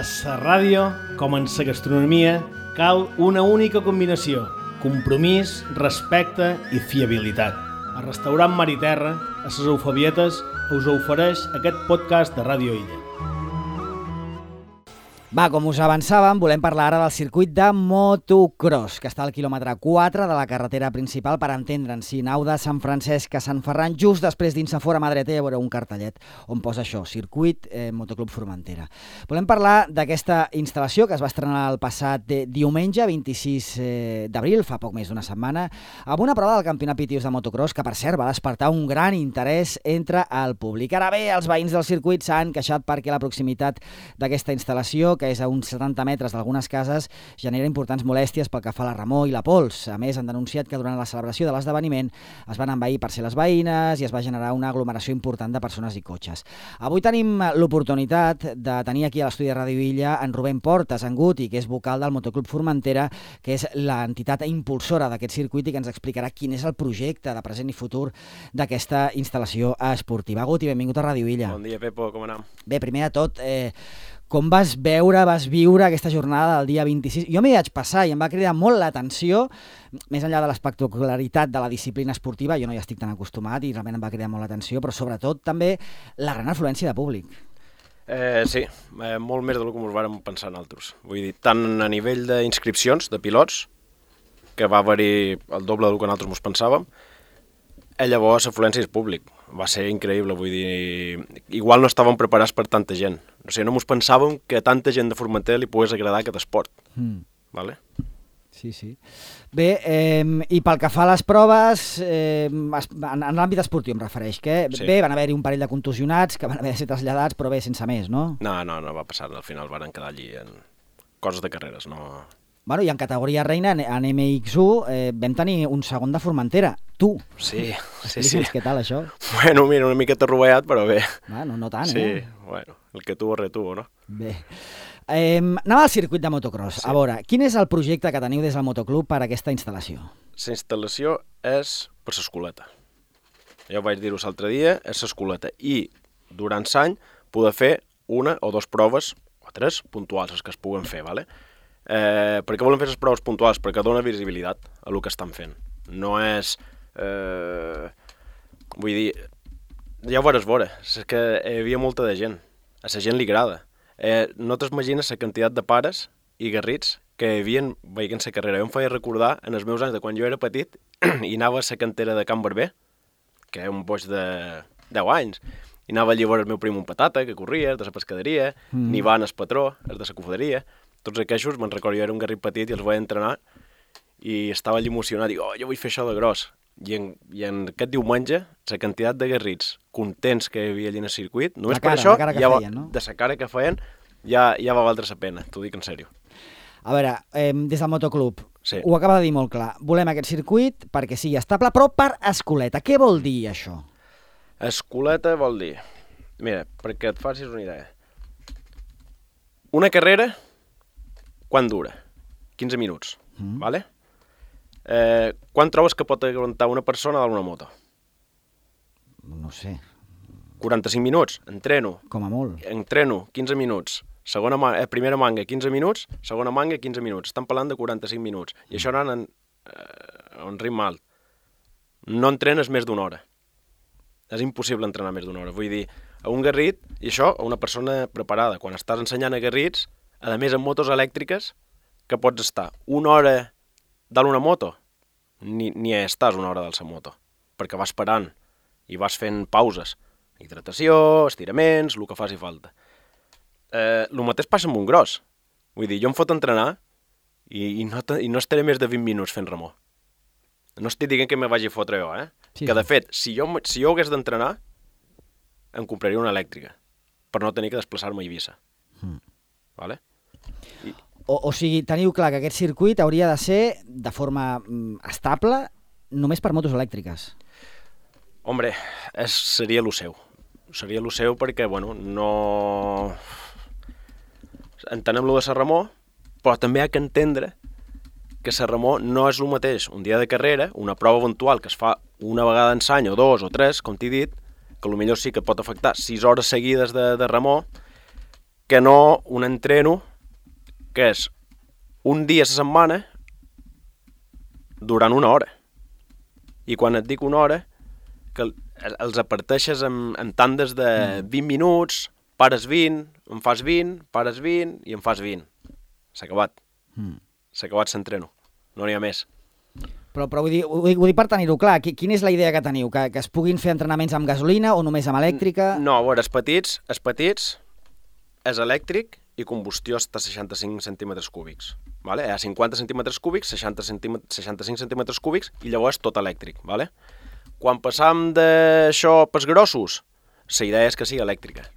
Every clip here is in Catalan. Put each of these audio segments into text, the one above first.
A la ràdio, com en la gastronomia, cal una única combinació: compromís, respecte i fiabilitat. El restaurant Mar i Terra, a les Eufebietes, us ofereix aquest podcast de Ràdio Illa. Va, com us avançàvem, volem parlar ara del circuit de motocross, que està al quilòmetre 4 de la carretera principal, per entendre'ns, si nau de Sant Francesc a Sant Ferran, just després dins a fora mà dreta hi haurà un cartellet on posa això, Circuit Motoclub Formentera. Volem parlar d'aquesta instal·lació que es va estrenar el passat diumenge, 26 d'abril, fa poc més d'una setmana, amb una prova del Campionat Pitius de motocross que, per cert, va despertar un gran interès entre el públic. Ara bé, els veïns del circuit s'han queixat perquè la proximitat d'aquesta instal·lació, que és a uns 70 metres d'algunes cases, genera importants molèsties pel que fa a la remor i la pols. A més, han denunciat que durant la celebració de l'esdeveniment es van envair parcel·les veïnes i es va generar una aglomeració important de persones i cotxes. Avui tenim l'oportunitat de tenir aquí a l'estudi de Ràdio Illa en Rubén Portas, en Guti, que és vocal del Motoclub Formentera, que és l'entitat impulsora d'aquest circuit i que ens explicarà quin és el projecte de present i futur d'aquesta instal·lació esportiva. Guti, benvingut a Ràdio Illa. Bon dia, Pepo, com anem? Bé, primer de tot, com vas viure aquesta jornada del dia 26? Jo m'hi vaig passar i em va cridar molt l'atenció, més enllà de l'espectacularitat de la disciplina esportiva, jo no hi estic tan acostumat i realment em va cridar molt l'atenció, però sobretot també la gran afluència de públic. Sí, molt més del que ens vàrem pensar nosaltres. Vull dir, tant a nivell d'inscripcions, de pilots, que va haver-hi el doble del que nosaltres ens pensàvem, llavors l'afluència és públic. Va ser increïble, vull dir, igual no estàvem preparats per tanta gent. O sigui, no ens pensàvem que tanta gent de Formentera li pogués agradar aquest esport. Vale? Sí, sí. Bé, i pel que fa a les proves, en l'àmbit esportiu em refereix, que sí. Bé, van haver-hi un parell de contusionats que van haver de ser traslladats, però bé, sense més, no? No va passar, al final van quedar allí en coses de carreres, no... Bueno, i en categoria reina, en MX1, vam tenir un segon de Formentera, tu. Sí. Què tal, això? Bueno, mira, una miqueta rovellat, però bé. Bueno, no tant, sí, bueno, el que tuvo retuvo, no? Bé. Anem al circuit de motocross. Sí. A veure, quin és el projecte que teniu des del motoclub per a aquesta instal·lació? La instal·lació és per l'escoleta. Ja ho vaig dir-ho l'altre dia, és l'escoleta. I durant l'any poder fer una o dues proves, o tres, puntuals, les que es puguen fer, ¿vale? Per què volen fer les proves puntuals? Perquè dona visibilitat a el que estan fent. No és... vull dir, ja ho veuràs veure, és que hi havia molta de gent, a la gent li agrada. No t'imagines la quantitat de pares i garrits que hi havia veient la carrera. Jo em feia recordar en els meus anys de quan jo era petit i anava a la cantera de Can Barber, que és un boig de 10 anys, i anava allí a veure el meu prim un patata, que corria, de la pescaderia, ni van el patró, el de la cofaderia. Tots aquests, me'n recordo, jo era un garrit petit i els vaig entrenar i estava allà emocionat, dic, jo vull fer això de gros. I en aquest diumenge, la quantitat de garrits contents que hi havia allà en el circuit, només per això, de la cara que feien, ja va valdre la pena, t'ho dic en sèrio. A veure, des del motoclub, sí. Ho acaba de dir molt clar, volem aquest circuit perquè sigui estable, però per escoleta. Què vol dir això? Escoleta vol dir, mira, perquè et facis una idea, una carrera, quan dura? 15 minuts, vale? Quan trobes que pot aguantar una persona dalt una moto? No sé. 45 minuts, entreno. Com a molt. Entreno, 15 minuts. Primera manga, 15 minuts, segona manga, 15 minuts. Estan parlant de 45 minuts. I això anant a un ritme alt. No entrenes més d'una hora. És impossible entrenar més d'una hora. Vull dir, a un garrit, i això a una persona preparada. Quan estàs ensenyant a garrits, a més amb motos elèctriques, que pots estar una hora dalt una moto, ni estàs una hora dalt la moto, perquè vas parant i vas fent pauses, hidratació, estiraments, el que faci falta. El mateix passa amb un gros. Vull dir, jo em fot entrenar i no estaré més de 20 minuts fent remor. No estic dient que me vagi a fotre jo, Sí, que de fet, si jo hagués d'entrenar, em compraria una elèctrica, per no tenir que desplaçar-me a Eivissa. Vale? O sigui, teniu clar que aquest circuit hauria de ser de forma estable només per motos elèctriques. Hombre, seria el seu. Seria el seu perquè, bueno, no... Entenem lo de la remor, però també hi ha que entendre que la remor no és el mateix. Un dia de carrera, una prova eventual que es fa una vegada en l'any o dos o tres, com t'he dit, que potser sí que pot afectar 6 hores seguides de remor, que no un entreno que és un dia a la setmana durant una hora. I quan et dic una hora, que els aparteixes en tandes de 20 minuts, pares 20, em fas 20, pares 20 i em fas 20. S'ha acabat. S'ha acabat l'entreno. No n'hi ha més. Però ho dic per tenir-ho clar. Quina és la idea que teniu? Que es puguin fer entrenaments amb gasolina o només amb elèctrica? No, a veure, els petits és elèctric i combustió està a 65 centímetres cúbics. Vale? A 50 centímetres cúbics, 65 centímetres cúbics i llavors tot elèctric. Vale? Quan passam d'això pels grossos, la idea és que sigui elèctrica.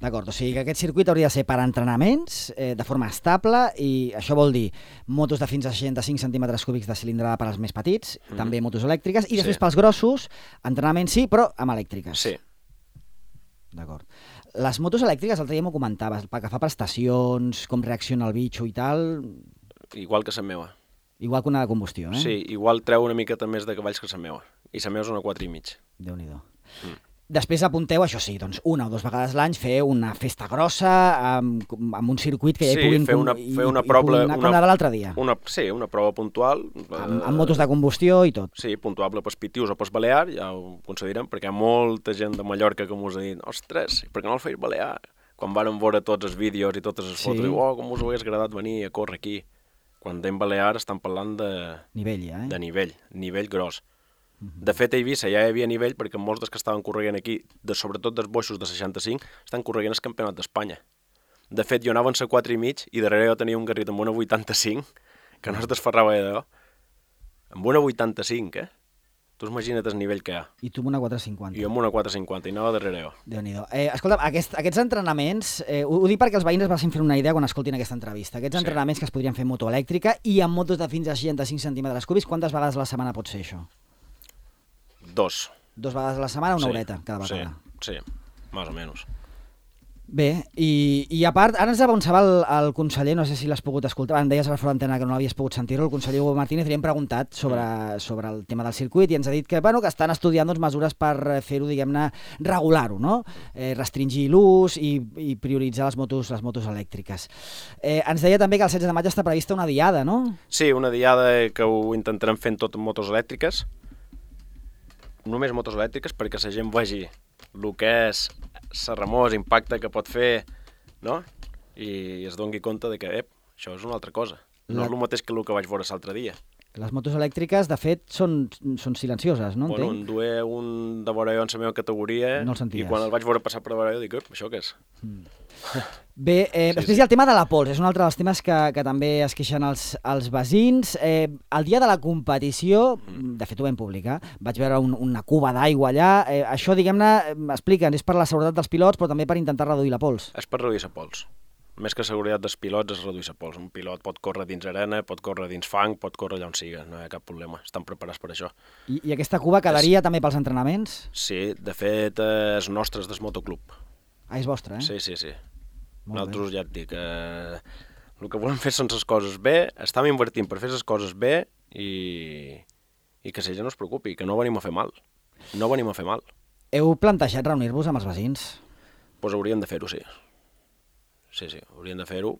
D'acord, o sigui que aquest circuit hauria de ser per entrenaments de forma estable i això vol dir motos de fins a 65 centímetres cúbics de cilindrada per als més petits, també motos elèctriques, i després pels grossos, entrenaments sí, però amb elèctriques. Sí. D'acord. Les motos elèctriques, l'altre dia m'ho comentaves, pel que fa prestacions, com reacciona el bitxo i tal... Igual que la meva. Igual que una de combustió, eh? Sí, igual treu una miqueta més de cavalls que la meva. I la meva és una 4,5. Déu-n'hi-do. Després apunteu, això sí, doncs una o dues vegades l'any fer una festa grossa amb un circuit que ja hi puguin... Sí, fer una prova... Com la de l'altre dia. Sí, una prova puntual. Amb motos de combustió i tot. Sí, puntuable pels Pitius o pels Balear, ja ho concedirem, perquè hi ha molta gent de Mallorca que m'ho ha dit, ostres, per què no el feis Balear? Quan vàrem veure tots els vídeos i totes les fotos, diu, com us hagués agradat venir a córrer aquí. Quan anem Balear estan parlant de... Nivell, ja, de nivell gros. De fet, a Eivissa ja hi havia nivell perquè molts dels que estaven corregant aquí, sobretot dels boixos de 65, estan corregant el campionat d'Espanya. De fet, jo anava en la 4,5 i darrere jo tenia un garrit amb una 85, que no es desferrava d'allò. Amb una 85, Tu imagina't el nivell que hi ha. I tu amb una 450. I amb una 450, i anava darrere jo. Déu-n'hi-do. Escolta, aquests entrenaments, ho dic perquè els veïns es vagin fent una idea quan escoltin aquesta entrevista. Aquests entrenaments que es podrien fer amb moto elèctrica i amb motos de fins a 65 centímetres cúbics, quantes vegades a la setmana pot ser això? 2. 2 vegades a la setmana, una horeta cada vegada. Sí, més o menys. Bé, i a part, ara ens avançava el conseller, no sé si l'has pogut escoltar, em deies a la fora d'antena que no l'havies pogut sentir-ho, el conseller Hugo Martínez, li hem preguntat sobre el tema del circuit i ens ha dit que estan estudiant mesures per fer-ho, diguem-ne, regular-ho, no? Restringir l'ús i prioritzar les motos elèctriques. Ens deia també que el 16 de maig està prevista una diada, no? Sí, una diada que ho intentarem fent tot amb motos elèctriques, només motos elèctriques perquè la gent vegi el que és la remor, l'impacte que pot fer, no? I es doni compte de que, això és una altra cosa. No és el mateix que el que vaig veure l'altre dia. Les motos elèctriques, de fet, són silencioses, no? Bueno, en duia un de vora jo en la meva categoria i quan el vaig veure passar per vora jo dic, això què és? Bé, després hi ha el tema de la pols, és un altre dels temes que també es queixen els veïns. El dia de la competició, de fet ho vam publicar, vaig veure una cuba d'aigua allà, això, diguem-ne, explica'ns, és per la seguretat dels pilots, però també per intentar reduir la pols. És per reduir la pols. Més que seguretat dels pilots és reduir la pols. Un pilot pot córrer dins arena, pot córrer dins fang, pot córrer allà on siga, no hi ha cap problema, estan preparats per això. I aquesta cuba quedaria també pels entrenaments? Sí, de fet, és nostre del motoclub. Ah, és vostre, eh? Sí. Nosaltres ja et dic, el que volem fer són les coses bé, estem invertint per fer les coses bé i que la gent no es preocupi, que no venim a fer mal. No venim a fer mal. Heu plantejat reunir-vos amb els veïns? Doncs hauríem de fer-ho, sí. Sí, hauríem de fer-ho.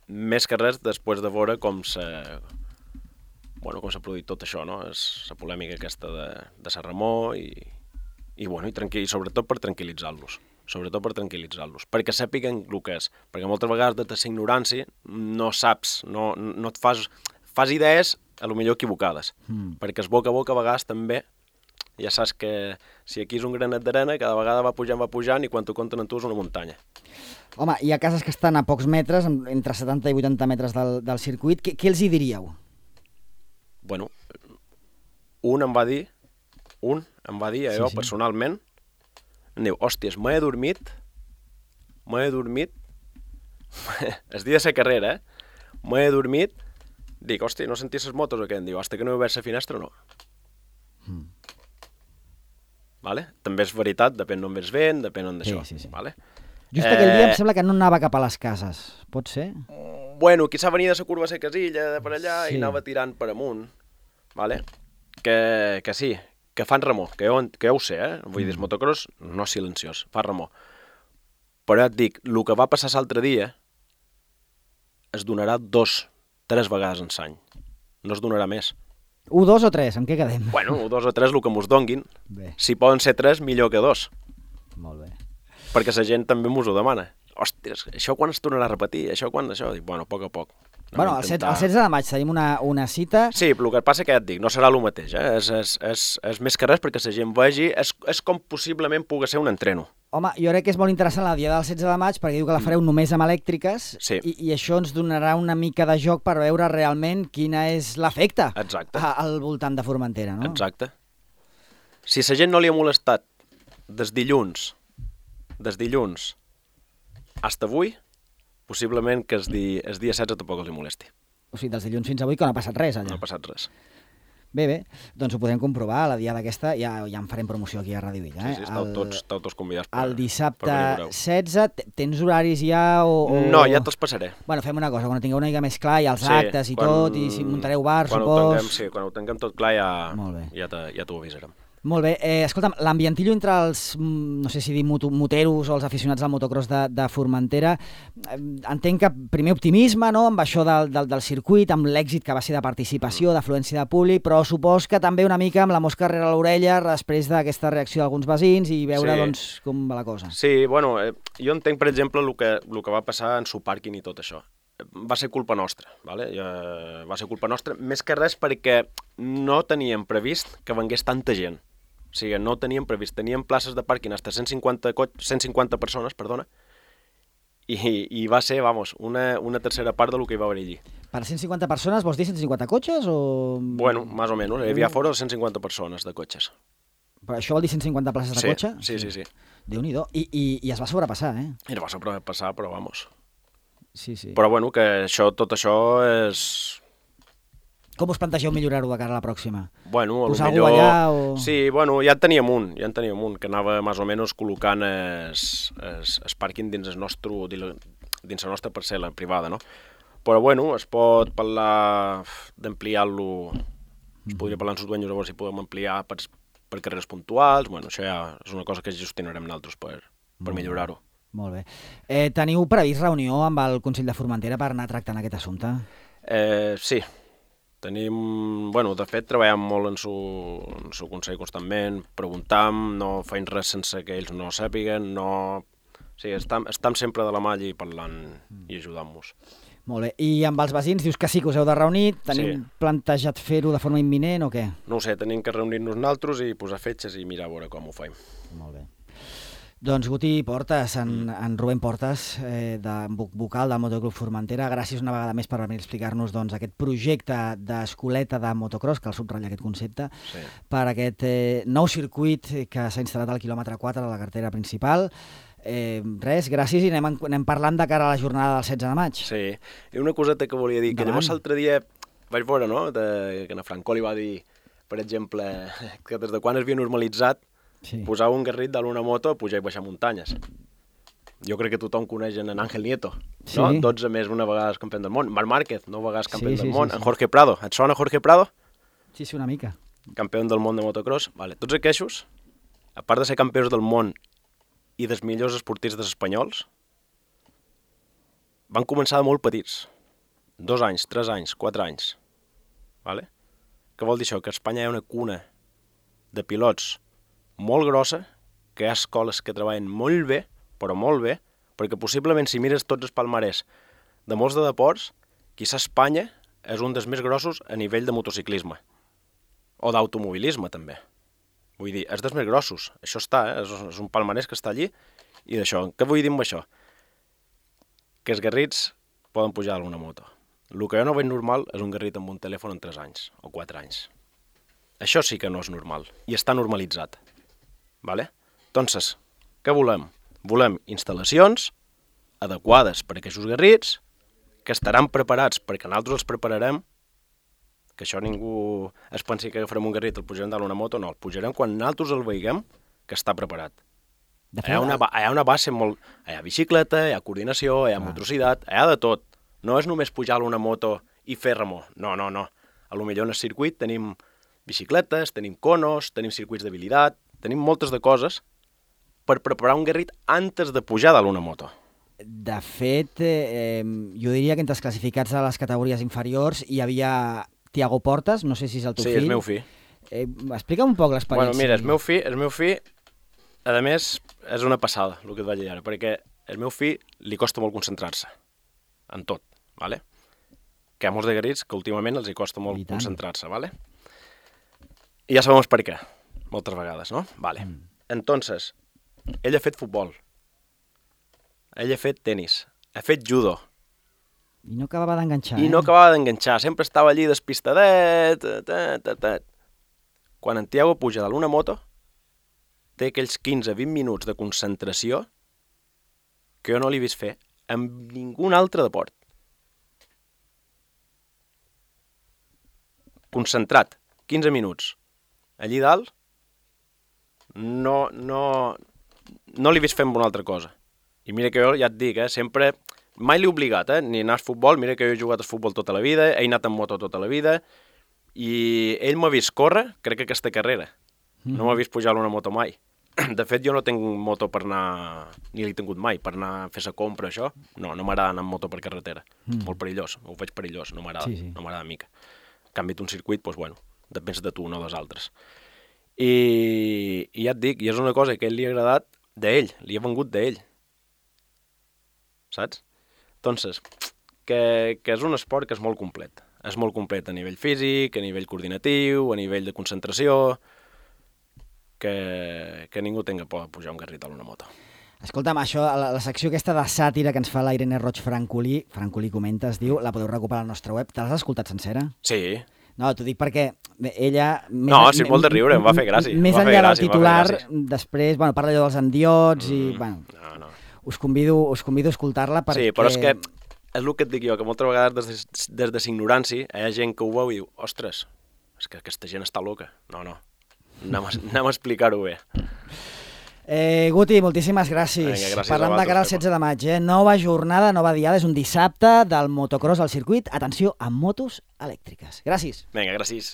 Més que res després de veure com s'ha produït tot això, no? És la polèmica aquesta de la remor i sobretot per tranquil·litzar-los. Perquè sàpiguen el que és. Perquè moltes vegades de la ignorància no saps, no et fas idees a lo millor equivocades. Perquè es boca a boca a vegades també ja saps que si aquí és un granet d'arena cada vegada va pujant i quan t'ho compten en tu és una muntanya. Home, hi ha cases que estan a pocs metres, entre 70 i 80 metres del circuit. Què els hi diríeu? Bueno, un em va dir a jo personalment, em diu, hòsties, m'he dormit, el dia de la carrera, m'he dormit, dic, hòstia, no senties les motos o què? Em diu, hasta que no he obert la finestra no. Vale? També és veritat, depèn d'on vens vent, depèn d'on d'això. Sí. Vale? Just aquell dia em sembla que no anava cap a les cases, pot ser? Bueno, quizà venia de la curva de la casilla, de per allà, i anava tirant per amunt. Vale? Que sí, que fan remor, que jo ho sé, Vull dir, el motocross no és silenciós, fa remor. Però ja et dic, el que va passar l'altre dia es donarà 2-3 vegades en l'any. No es donarà més. 1, 2 o 3, en què quedem? Bueno, 2 o 3, el que mos donguin. Bé, Si poden ser 3, millor que 2. molt bé. Perquè la gent també mos ho demana. Ostres, això quan es tornarà a repetir? Això quan això? Dic, bueno, a poc a poc. Bueno, el 16 de maig tenim una cita. Sí, però el que passa que ja et dic, no serà el mateix, és més que res perquè la gent vegi, és com possiblement pugui ser un entreno. Home, jo crec que és molt interessant la dia del 16 de maig perquè diu que la fareu només amb elèctriques Sí. i això ens donarà una mica de joc per veure realment quina és l'efecte Exacte. al voltant de Formentera, no? Exacte. Si la gent no li ha molestat des dilluns hasta avui, possiblement que el dia 16 tampoc els hi molesti. O sigui, dels dilluns fins avui que no ha passat res allà. No ha passat res. Bé, doncs ho podem comprovar, la diada aquesta ja en farem promoció aquí a Ràdio Villa. Sí, esteu tots convidats per El dissabte per venir a veure-ho. 16, tens horaris ja o... No, ja te'ls passaré. Bueno, fem una cosa, quan ho tingueu una mica més clar, i els Sí, actes i tot, i si muntareu bar, quan supos... Quan ho tinguem tot clar Molt bé. ja t'ho avisarem. Molt bé. Escolta'm, l'ambientillo entre els, no sé si dir moteros o els aficionats al motocross de Formentera, entenc que primer optimisme, no?, amb això del circuit, amb l'èxit que va ser de participació, d'afluència de públic, però supos que també una mica amb la mosca rere l'orella després d'aquesta reacció d'alguns veïns i veure, Sí. doncs, com va la cosa. Sí, bueno, jo entenc, per exemple, el que va passar en Supàrquing i tot això. Va ser culpa nostra, ¿vale? Va ser culpa nostra, més que res perquè no teníem previst que vengués tanta gent. O sigui, no ho teníem previst. Teníem places de pàrquing hasta 150 persones, perdona, i va ser, vamos, una tercera part del que hi va haver allí. Per 150 persones vols dir 150 cotxes o...? Bueno, más o menos. Hi havia fora de 150 persones de cotxes. Però això vol dir 150 places de Sí, cotxe? sí. Déu-n'hi-do. I es va sobrepassar, eh? I no va sobrepassar, però vamos. Sí. Però bueno, que tot això és... Com us plantegeu millorar-ho de cara a la pròxima? Bueno, Posar millor... algú allà o...? Sí, bueno, ja en teníem un, que anava més o menys col·locant el pàrquing dins la nostra parcel·la privada, no? Però bueno, es pot parlar d'ampliar-lo, es podria parlar amb els dueños a veure si podem ampliar per carreres puntuals, bueno, això ja és una cosa que gestionarem nosaltres per millorar-ho. Molt bé. Teniu previst reunió amb el Consell de Formentera per anar tractant aquest assumpte? Sí, tenim... Bueno, de fet, treballem molt en su consell constantment, preguntam, no feim res sense que ells no sàpiguen, no... Sí, estem sempre de la mà allí parlant i ajudant-nos. Molt bé. I amb els veïns dius que sí que us heu de reunir, teniu plantejat fer-ho de forma imminent o què? No ho sé, tenim que reunir-nos nosaltres i posar fetges i mirar a veure com ho faim. Molt bé. Doncs Guti Portes, en Rubén Portes, vocal del Motoclub Formentera, gràcies una vegada més per venir a explicar-nos doncs, aquest projecte d'escoleta de motocross, que el subratlla aquest concepte, per aquest nou circuit que s'ha instal·lat al quilòmetre 4 de la carretera principal. Res, gràcies, i anem parlant de cara a la jornada del 16 de maig. Sí, i una coseta que volia dir, que llavors l'altre dia vaig veure, no?, que en Franco li va dir, per exemple, que des de quan es havia normalitzat posar un garrit de l'una moto a pujar i baixar muntanyes. Jo crec que tothom coneix en Ángel Nieto, no? 12 més una vegada campió del món. Marc Márquez, 9 vegades campió del món. En Jorge Prado, et sona Jorge Prado? Sí, una mica. Campió del món de motocross. Vale. Tots aquests, a part de ser campions del món i dels millors esportistes espanyols, van començar de molt petits. 2 anys, 3 anys, 4 anys. Vale? Què vol dir això? Que a Espanya hi ha una cuna de pilots molt grossa, que hi ha escoles que treballen molt bé, però molt bé, perquè possiblement si mires tots els palmarès de molts de deports, quizá Espanya és un dels més grossos a nivell de motociclisme. O d'automobilisme, també. Vull dir, és dels més grossos. Això està, és un palmarès que està allí. I d'això, què vull dir amb això? Que els garrits poden pujar a una moto. El que jo no veig normal és un garrit amb un telèfon en 3 anys o 4 anys. Això sí que no és normal, i està normalitzat. Vale? Entonces, què volem? Volem instal·lacions adequades per a aquests garrits, que estaran preparats perquè nosaltres els prepararem, que això ningú es pensi que agafarem un garrit, el pujarem dalt una moto, no, el pujarem quan nosaltres el veiguem que està preparat. Hi ha una base molt... Hi ha bicicleta, hi ha coordinació, hi ha motricitat, hi ha de tot. No és només pujar a una moto i fer remor. No. A lo millor en el circuit tenim bicicletes, tenim conos, tenim circuits d'habilitat, tenim moltes de coses per preparar un garrit antes de pujar dalt una moto. De fet, jo diria que entre els classificats de les categories inferiors hi havia Tiago Portas, no sé si és el teu fill. Sí, és meu fill. Explica'm un poc l'experiència. Bueno, mira, el meu fill, a més, és una passada, el que et vaig dir ara, perquè el meu fill li costa molt concentrar-se en tot, ¿vale? Que hi ha molts de garrits que últimament els hi costa molt concentrar-se, ¿vale? I ja sabem per què, moltes vegades, no? Vale. Entonces, ell ha fet futbol, ell ha fet tenis, ha fet judo. I no acabava d'enganxar, I no acabava d'enganxar, sempre estava allí despistadet, Quan en Tiago puja dalt una moto, té aquells 15-20 minuts de concentració que jo no l'he vist fer amb ningú altre deport. Concentrat, 15 minuts. Allí dalt, no l'he vist fer amb una altra cosa. I mira que jo ja et dic, sempre, mai l'he obligat, ni anar a futbol, mira que jo he jugat a futbol tota la vida, he anat en moto tota la vida, i ell m'ha vist córrer, crec que aquesta carrera. No m'ha vist pujar una moto mai. De fet, jo no tinc moto per anar, ni l'he tingut mai, per anar a fer sa compra, això. No m'agrada anar amb moto per carretera. Molt perillós, ho veig perillós, no m'agrada, no m'agrada mica. En canvi, un circuit, doncs, bueno, depèn de tu, no dels altres. I ja et dic, i és una cosa que a ell li ha agradat d'ell, li ha vengut d'ell. Saps? Entonces, que és un esport que és molt complet. És molt complet a nivell físic, a nivell coordinatiu, a nivell de concentració, que ningú tingui por de pujar un garrit a una moto. Escolta'm, això, la secció aquesta de sàtira que ens fa la Irene Roig Francolí comenta, es diu, la podeu recuperar al nostre web. Te l'has escoltat sencera? Sí. No, t'ho dic perquè ella... Sí, molt de riure, em va fer gràcia. Més enllà del titular, després, parla allò dels endiots i, No. Us convido a escoltar-la perquè... Sí, però és que és el que et dic jo, que moltes vegades des de l'ignorància hi ha gent que ho veu i diu, ostres, és que aquesta gent està loca. No. Anem a explicar-ho bé. Guti, moltíssimes gràcies. Vinga, Parlem de cara al 16 de maig. Nova jornada, nova diada, és un dissabte del motocross al circuit. Atenció, amb motos elèctriques. Gràcies. Vinga, gràcies.